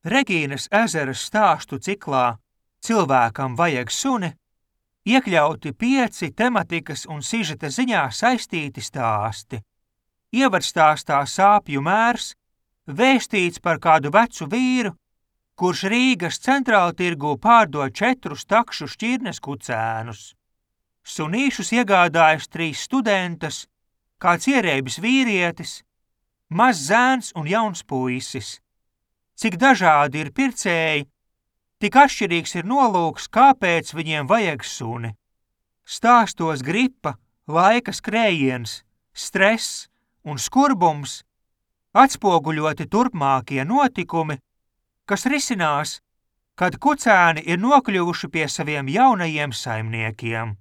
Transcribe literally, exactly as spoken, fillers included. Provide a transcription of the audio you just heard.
Regīnas ezeras stāstu ciklā Cilvēkam vajag suni iekļauti pieci tematikas un sižeta ziņā saistīti stāsti. Ievadstāstā Sāpju mērs vēstīts par kādu vecu vīru, kurš Rīgas centrāltirgū pārdod četrus takšu šķirnes kucēnus. Sunīšus iegādājas trīs studentas, kāds ierēbis vīrietis, mazs zēns un jauns puisis. Cik dažādi ir pircēji, tik atšķirīgs ir nolūks, kāpēc viņiem vajag suni. Stāstos gripa, laika skrējiens, stress un skurbums, atspoguļoti turpmākie notikumi, kas risinās, kad kucēni ir nokļuvuši pie saviem jaunajiem saimniekiem.